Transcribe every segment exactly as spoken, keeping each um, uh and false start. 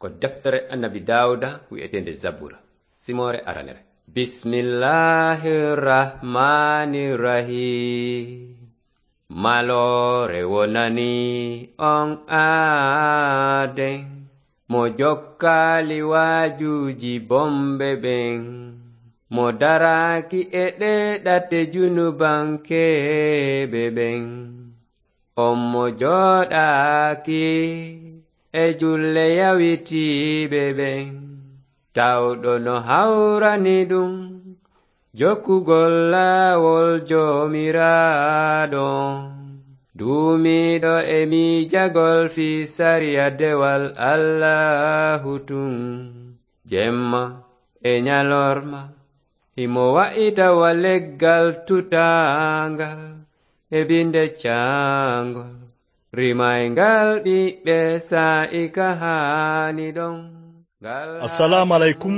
Ko deftere Annabi Daawuda wi'eteende Zabura, simoore aranere. Bismillahir Rahmanir Rahim. Maloore wonani on aaden, mo jokkaali waajuuji bomɓe ɓen, mo daraaki e ɗee ɗate junubankeeɓe ɓen. On mo jooɗaaki e julle yawitiiɓe ɓen, tawɗo no hawrani ɗum jokkugol laawol Joomiraaɗo, duumiiɗo e miijagol fii sariya dewal Allaahu tun, jemma e ñalorma. Himo wa'ita wa leggal tutaangal e binde caangol, rimayngal ɓiɓɓe saa'i ka haani ɗon. Ngal Assalaamu aleykum.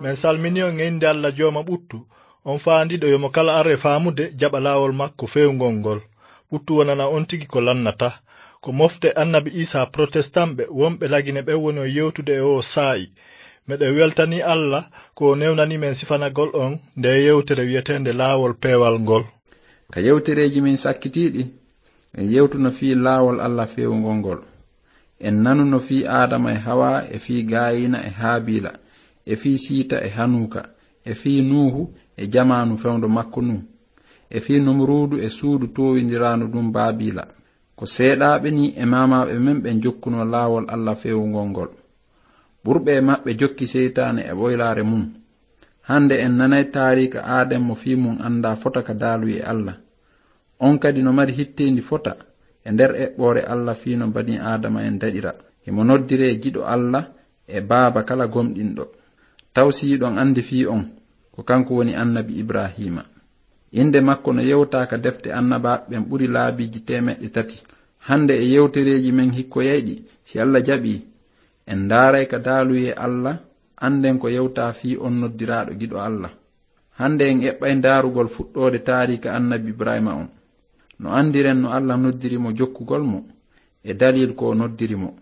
Min salmini on e innde Alla Jooma ɓuttu, on faandiiɗo yo mo kala ar e faamude jaɓa laawol makko feewngol ngol. Ɓuttu wonana on tigi ko lannata. Ko mofte Annabi Iisaa protestanɓe wonɓe Lagine ɓen woni on yewtude e oo saa'i. Meɗen weltanii Alla ko o newnanii men sifanagol on ndee yewtere wi'eteende Laawol Peewal ngol. Ka yewtereeji men sakkitiiɗi, en yewtuno fii laawol Alla feewngol ngol. En nanuno fii Aadama e Hawaa, e fii Gaayiina e Haabiila, e fii Siita e Hanuuka, e fii Nuuhu e jamaanu fewndo makko Nuuhu, e fii Numuruudu e suudu toowindiraandu ɗum Baabiila. Ko seeɗaaɓe nii e maamaaɓe men ɓen jokkunoo laawol Alla feewngol ngol. Ɓurɓe e maɓɓe jokki seytaane e ɓoylaare mun. Hannde en nanay taariika Aaden mo fii mun anndaa fota ka daaluyee Alla. On kadi no mari hitteendi fota e nder eɓɓoore Alla fii no banii Aadama en daɗira. Himo noddiree giɗo Alla e baaba kala gomɗinɗo. Taw si hiɗon anndi fii on, ko kanko woni Annabi Ibraahiima. Innde makko no yewtaa ka defte annabaaɓe ɓen ɓuri laabiiji teemeɗɗe tati. Hannde e yewtereeji men hikkoyayɗi, si Alla jaɓii, en ndaaray ka daaluyee Alla, annden ko yewtaa fii on noddiraaɗo giɗo Alla. Hannde en eɓɓay ndaarugol fuɗɗoode taariika Annabi Ibraahiima on. No anndiren no Alla noddiri mo jokkugol mo, e daliil ko o noddiri mo.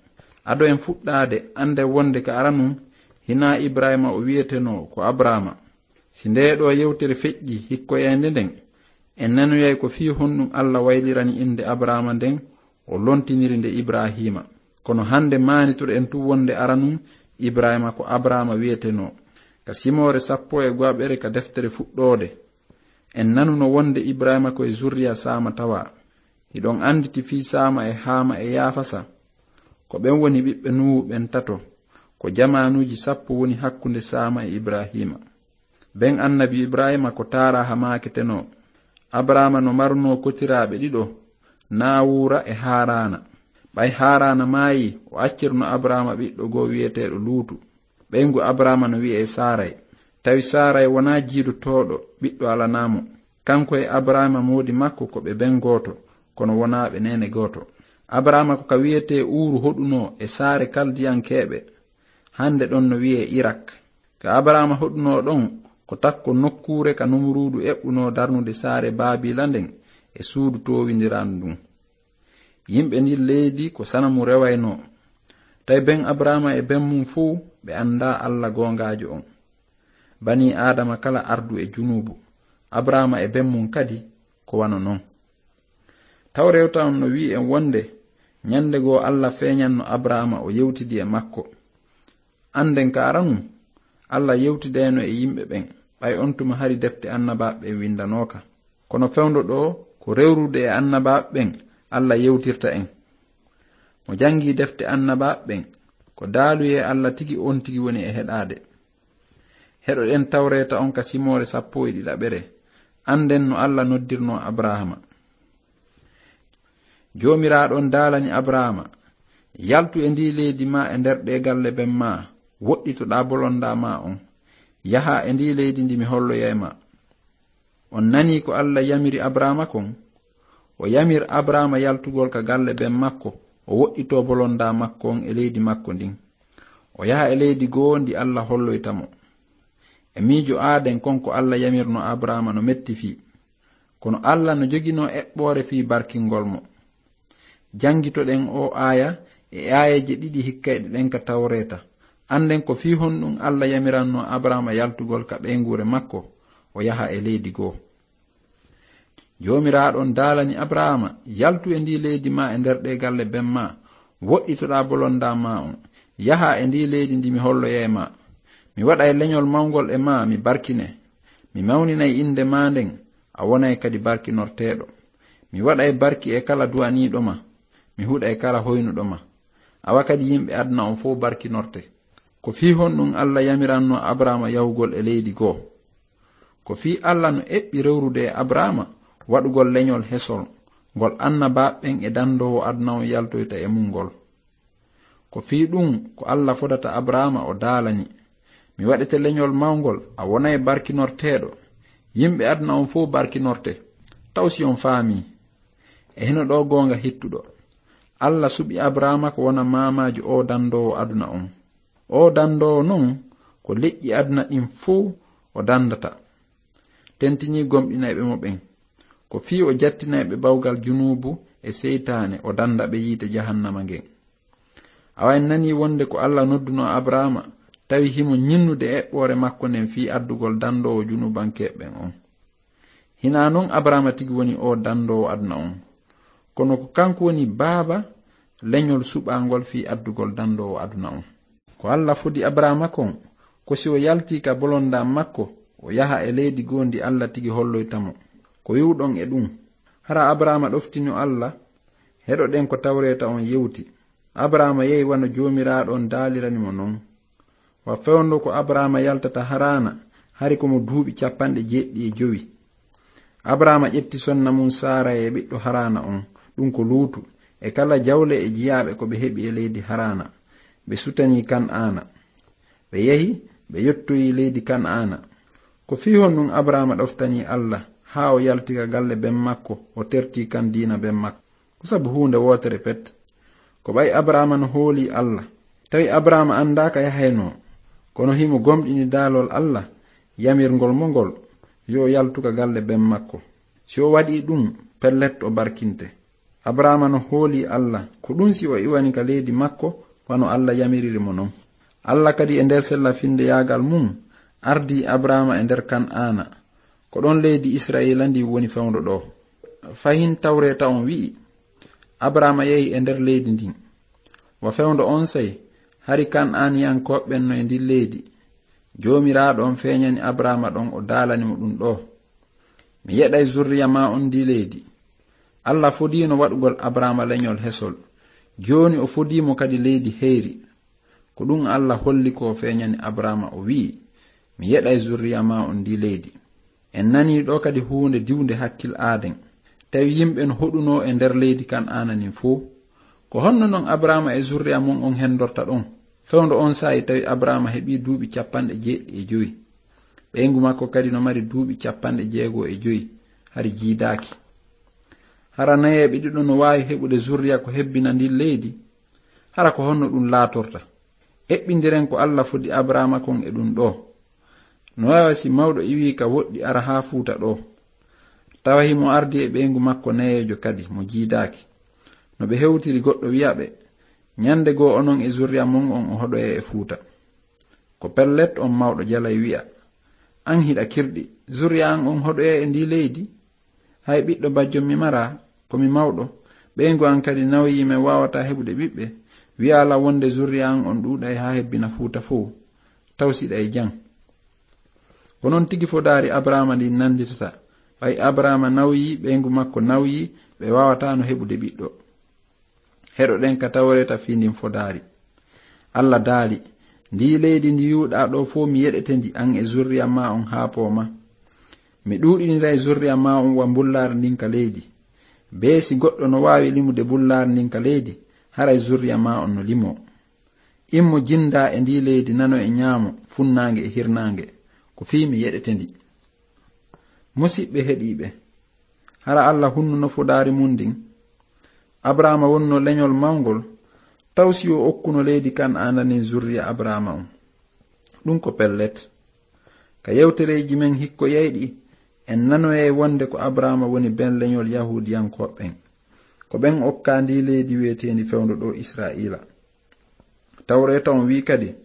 Ado en fuɗɗaade, annden wonnde ka aranun, hinaa Ibraahiima o wi'etenoo, ko Abraama. Si ndee ɗoo yewtere feƴƴii hikkoyaynde nden, en nanoyay ko fii honɗun Alla waylirani innde Abraama nden, o lontiniri nde Ibraahiima. Kono hannde maanitoɗen tun wonnde aranun Ibraahiima ko Abraama wi'etenoo. Ka simoore sappo e go'aɓere ka deftere Fuɗɗoode, en nanuno wonnde Ibraahiima ko e zurriya Saama tawaa. Hiɗon annditi fii Saama e Haama e Yaafasa? Ko ɓen woni ɓiɓɓe Nuuhu ɓen tato. Ko jamaanuuji sappo woni hakkunde Saama e Ibraahiima. Ben annabi Ibraahiima ko Taaraha maaketenoo. Abraama no marunoo kotiraaɓe ɗiɗo, Naawuura e Haaraana. Ɓay Haaraana maayii, o accirno Abraama ɓiɗɗo goo wi'eteeɗo Luutu. Ɓeyngu Abraama no wi'ee Saaray. Tawi Saaray wonaa jiidotooɗo, ɓiɗɗo alanaa mo. Kanko e Abraama moodi makko ko ɓe ben gooto, kono wonaa ɓe neene gooto. Abraama ko ka wi'etee Uuru hoɗunoo e saare Kaldiyankeeɓe, hannde ɗon no wi'ee Irak. Ka Abraama hoɗunoo ɗon, ko takko nokkuure ka Numuruudu eɓɓunoo darnude saare Baabiila nden e suudu toowindiraandu ndun. Yimɓe ndin leydi ko sanamu rewaynoo. Tawi ben Abraama e ben mun fow ɓe anndaa Alla goongaajo on. Banii Aadama kala ardu e junuubu. Abraama e ben mun kadi ko wano non. Tawreeta on no wi'i en wonde, ñande goo Alla feeñanno Abraama, o yewtidi e makko. Annden ka aranun, Alla yewtidayno e yimɓe ɓen, ɓay on tuma hari defte annabaaɓe ɓen windanooka. Kono fewndo ɗoo, ko rewrude e annabaaɓe ɓen Alla yewtirta en. Mo janngii defte annabaaɓe ɓen, ko daaluyee Alla tigi on tigi woni e heɗaade. Heɗoɗen Tawreeta on ka simoore sappo e ɗiɗaɓere. Annden no Alla noddirnoo Abraama. Joomiraaɗo on daalani Abraama, "Yaltu e ndii leydi maa e nder ɗee galle ben maa, woɗɗitoɗaa bolondaa maa on. Yahaa e ndii leydi ndi mi holloyay maa." On nanii ko Alla yamiri Abraama kon? O yamir Abraama yaltugol ka galle ben makko, o woɗɗitoo bolondaa makko on e leydi makko ndin. O yaha e leydi goo ndi Alla holloyta mo. E miijo aaden kon ko Alla yamirno Abraama no metti fii. Kono Alla no joginoo eɓɓoore fii barkingol mo. Janngitoɗen oo aaya e aayeeje ɗiɗi hikkayɗe ɗen ka Tawreeta. Annden ko fii honɗum Alla yamiranno Abraama yaltugol ka ɓeynguure makko, o yaha e leydi goo. Joomiraaɗo on daalani Abraama: "Yaltu e ndii leydi maa, e nder ɗee galle ben maa, woɗɗitoɗaa bolondaa maa on. Yahaa e ndii leydi ndi mi holloyay maa. Mi waɗay leñol mawngol e maa, mi barkine. Mi mawninay innde maa nden, a wonay kadi barkinorteeɗo. Mi waɗay barki e kala du'aniiɗo ma, mi huɗay kala hoynuɗo ma. Awa kadi yimɓe aduna on fow barkinorte." Ko fii honɗum Alla yamiranno Abraama yahugol e leydi goo? Ko fii Alla no eɓɓi rewrude e Abraama waɗugol leñol hesol, ngol annabaaɓe ɓen e dandoowo aduna on yaltoyta e mun ngol. Ko fii ɗum ko Alla fodata Abraama, o daalani: "Mi waɗete leñol mawngol, a wonay barkinorteeɗo. Yimɓe aduna on fow barkinorte." Taw si on faamii? E hino ɗoo goonga hittuɗo. Alla suɓi Abraama ko wona maamaajo oo dandoowo aduna on. Oo dandoowo non, ko leƴƴi aduna ɗin fow o dandata. Tentinii gomɗinayɓe mo ɓen. Ko fii o jattinay ɓe bawgal junuubu e seytaane, o danda ɓe yiite jahannama ngen. Awa en nanii wonde ko Alla nodduno Abraama, tawi himo ñinnude eɓɓoore makko nden fii addugol dandoowo junuubankeeɓe ɓen on. Hinaa non Abraama tigi woni oo dandoowo aduna on, kono ko kanko woni baaba leñol suɓaangol fii addugol dandoowo aduna on. Ko Alla fodi Abraama kon, ko si o yaltii ka bolondaa makko, o yaha e leydi goo ndi Alla tigi holloyta mo. Ko iwɗon e ɗum? Hara Abraama ɗoftino Alla? Heɗoɗen ko Tawreeta on yewti. Abraama yehi wano Joomiraaɗo on daalirani mo non. Wa fewndo ko Abraama yaltata Haraana, hari ko mo duuɓi capanɗe jeeɗiɗi e jowi. Abraama ƴetti sonna mun Saara e ɓiɗɗo Haraana on, ɗum ko Luutu, e kala jawle e jiyaaɓe ko ɓe heɓi e leydi Haraana. Ɓe sutanii Kan'aana. Ɓe yehi, ɓe yottoyi leydi Kan'aana. Ko fii honɗum Abraama ɗoftanii Alla, haa o yalti ka galle ben makko, o terti kan diina ben makko? Ko sabu huunde wootere pet. Ko ɓay Abraama no hoolii Alla. Tawi Abraama anndaa ka yahaynoo, kono himo gomɗini daalol Alla, yamirngol mo ngol, yo o yaltu ka galle ben makko. Si o waɗii ɗum, pellet o barkinte. Abraama no hoolii Alla, ko ɗum si o iwani ka leydi makko, wano Alla yamiriri mo non. Alla kadi e nder sella-finndeyaagal mun, ardii Abraama e nder Kan'aana. Ko ɗon leydi Isra'iila ndin woni fewndo ɗoo. Fahin Tawreeta on wi'i, Abraama yehi e nder leydi ndin. Wa fewndo onsay, hari Kan'aaniyankooɓe ɓen no e ndin leydi. Joomiraaɗo on feeñani Abraama ɗon, o daalani mo ɗum ɗoo: "Mi yeɗay zurriya maa on ndii leydi." Alla fodiino waɗugol Abraama leñol hesol. Jooni o fodii mo kadi leydi heyri. Ko ɗum Alla holli ko o feeñani Abraama, o wi'i: "Mi yeɗay zurriya maa on ndii leydi." En nanii ɗoo kadi huunde diwnde hakkil aaden. Tawi yimɓe no hoɗunoo e nder leydi Kan'aana nin fow. Ko honno non Abraama e zurriya mun on hendorta ɗon? Fewndo on saa'i tawi Abraama heɓii duuɓi capanɗe jeeɗiɗi e jowi. Ɓeyngu makko kadi no mari duuɓi capanɗe jeego e jowi, hari jiidaaki. Hara nayeeɓe ɗiɗo no waawi heɓude zurriya ko hebbina ndin leydi? Hara ko honno ɗum laatorta? Eɓɓindiren ko Alla fodi Abraama kon e ɗum ɗoo. No waawa si mawɗo iwii ka woɗɗi ara haa fuuta ɗoo. Tawa himo ardi e ɓeyngu makko nayeejo kadi mo jiidaaki. No ɓe hewtiri, goɗɗo wi'a ɓe: "Ñande goo onon e zurriya mon on o hoɗoyay e fuuta." Ko pellet on mawɗo jalay wi'a: "An hiɗa kirɗi, zurriya an on hoɗoyay e ndii leydi? Hay ɓiɗɗo bajjo mi maraa, ko mi mawɗo. Ɓeyngu an kadi nawyii, men waawataa heɓude ɓiɓɓe. Wi'aa lan wonde zurriya an on ɗuuɗay haa hebbina fuuta fow. Taw si ɗay jam." Ko non tigi fodaari Abraama ndin nanditata. Ɓay Abraama nawyii, ɓeyngu makko nawyii, ɓe waawataano heɓude ɓiɗɗo. Heɗoɗen ka Tawreeta fii ndin fodaari. Alla daali: "Ndii leydi ndi yuuɗaa ɗoo fow, mi yeɗete ndi, an e zurriya maa on haa pooma. Mi ɗuuɗiniray zurriya maa on wa mbullaari ndin ka leydi. Bee si goɗɗo no waawi limude mbullaari ndin ka leydi, haray zurriya maa on no limoo. Immo jindaa e ndii leydi nano e ñaamo, funnaange e hirnaange, ko fii mi yeɗete ndi." Musiɓɓe heɗiiɓe, hara Alla hunnuno fodaari mun ndin? Abraama wonno leñol mawngol, taw si o okkuno leydi Kan'aana ndin zurriya Abraama on? Ɗum ko pellet. Ka yewtereeji men hikkoyayɗi, en nanoyay wonde ko Abraama woni ben leñol Yahuudiyankooɓe ɓen. Ko ɓen okkaa ndii leydi wi'eteendi fewndo ɗoo Isra'iila. Tawreeta on wi'i kadi: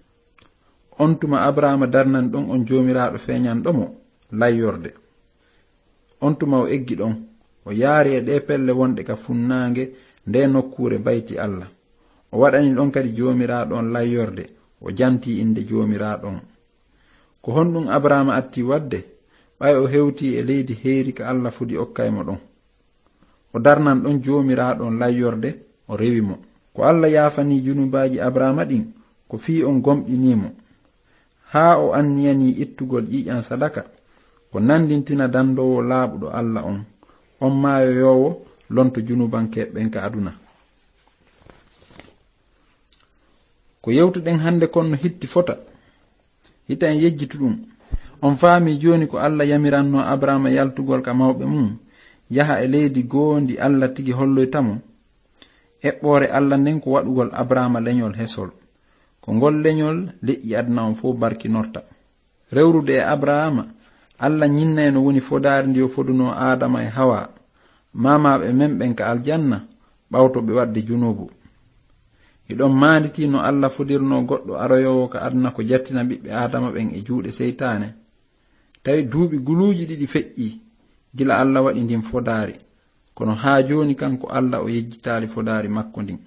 On tuma Abraama darnani ɗon on Joomiraaɗo feeñanɗo mo layyorde. On tuma o eggi ɗon, o yaari e ɗee pelle wonɗe ka funnaange nde nokkuure Bayti Alla. O waɗani ɗon kadi Joomiraaɗo on layyorde, o janti innde Joomiraaɗo on. Ko honɗum Abraama atti waɗde, ɓay o hewti e leydi heyri ka Alla fodi okkay mo ɗon? O darnan ɗon Joomiraaɗo on layyorde, o rewi mo. Ko Alla yaafani junubaaji Abraama ɗin, ko fii on gomɗinii mo. Haa o anniyanii ittugol ƴiiƴan sadaka, ko nandintina dandoowo laaɓuɗo Alla on, on maayoyoowo lonto junubankeeɓe ɓen ka aduna. Ko yewtuɗen hannde kon no hitti fota. Hita en yejjitu ɗum. On faami jooni ko Alla yamiranno Abraama yaltugol ka mawɓe mum, yaha e leydi goo ndi Alla tigi holloyta mo? Eɓɓoore Alla nden ko waɗugol Abraama leñol hesol. Ko ngol leñol leƴƴi aduna on fow barkinorta. Rewrude e Abraama, Alla ñinnay no woni fodaari ndi o fodunoo Aadama e Hawa, maamaaɓe men ɓen ka aljanna, ɓawto ɓe waɗde junuubu. Hiɗon maanditii no Alla fodirnoo goɗɗo aroyoowo ka aduna ko jattina ɓiɓɓe Aadama ɓen e juuɗe seytaane? Tawi duuɓi guluuji ɗiɗi feƴƴii gila Alla waɗi ndin fodaari, kono haa jooni kanko Alla o yejjitaali fodaari makko ndin.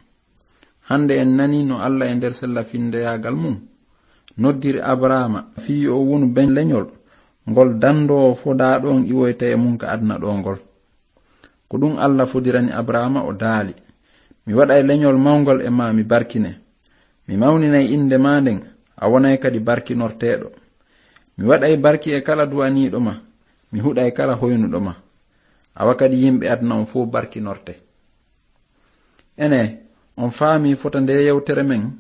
Hannde en nanii no Alla e nder sella finndeyaagal mum noddiri Abraama fii yo o wonu ben leñol ngol dandoowo fodaaɗo on iwoyta e mum ka aduna ɗoo ngol. Ko ɗum Alla fodirani Abraama, o daali, "Mi waɗay leñol mawngol e maa, mi barkine. Mi mawninay innde maa nden, a wonay kadi barkinorteeɗo. Mi waɗay barki e kala du'aniiɗo ma, mi huɗay kala hoynuɗo ma. Awa kadi yimɓe aduna on fow barkinorte." Ene, on faami fota nde yewtere men?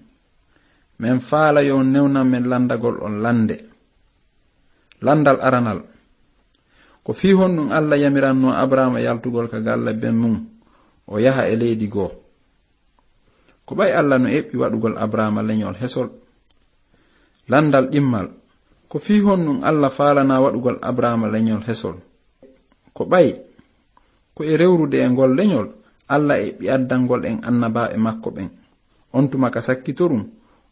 Men faala yo on newnan men lanndagol on lannde. Lanndal aranal. Ko fii honɗum Alla yamiranno Abraama yaltugol ka galle ben mum, o yaha e leydi goo? Ko ɓay Alla no eɓɓi waɗugol Abraama leñol hesol? Lanndal ɗimmal. Ko fii honɗum Alla faalana waɗugol Abraama leñol hesol? Ko ɓay, ko e rewrude e ngol leñol, Alla eɓɓi addangol en annabaaɓe makko ɓen. On tuma ka sakkitorum,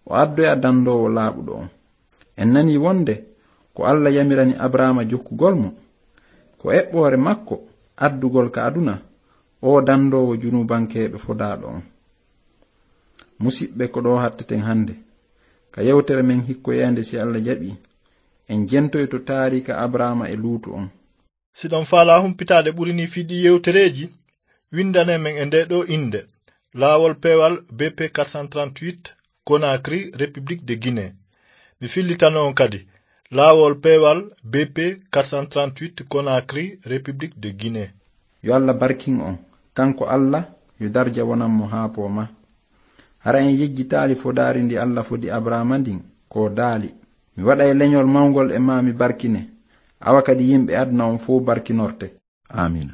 o addoya dandoowo laaɓuɗo on. En nanii wonde ko Alla yamirani Abraama jokkugol mo, ko eɓɓoore makko addugol ka aduna oo dandoowo junubankeeɓe fodaaɗo on. Musiɓɓe, ko ɗoo hatteten hannde. Ka yewtere men hikkoyeende, si Alla jaɓii, en jentoyto taariika Abraama e Luutu on. Si ɗon faalaa humpitaade ɓuri nii fii ɗii yewtereeji, winndane men e ndee ɗoo innde: Laawol Peewal B P quatre cent trente-huit, Conakry, République de Guinée. Mi fillitano on kadi, Laawol Peewal B P quatre cent trente-huit, Conakry, République de Guinée. Yo Alla barkin on, kanko Alla, yo darja wonan mo haa poomaa. Hara en yejjitaali fodaari ndi Alla fodi Abraama ndin, ko o daali, "Mi waɗay leñol mawngol e maa, mi barkine. Awa kadi yimɓe aduna on fow barkinorte." Aamiina.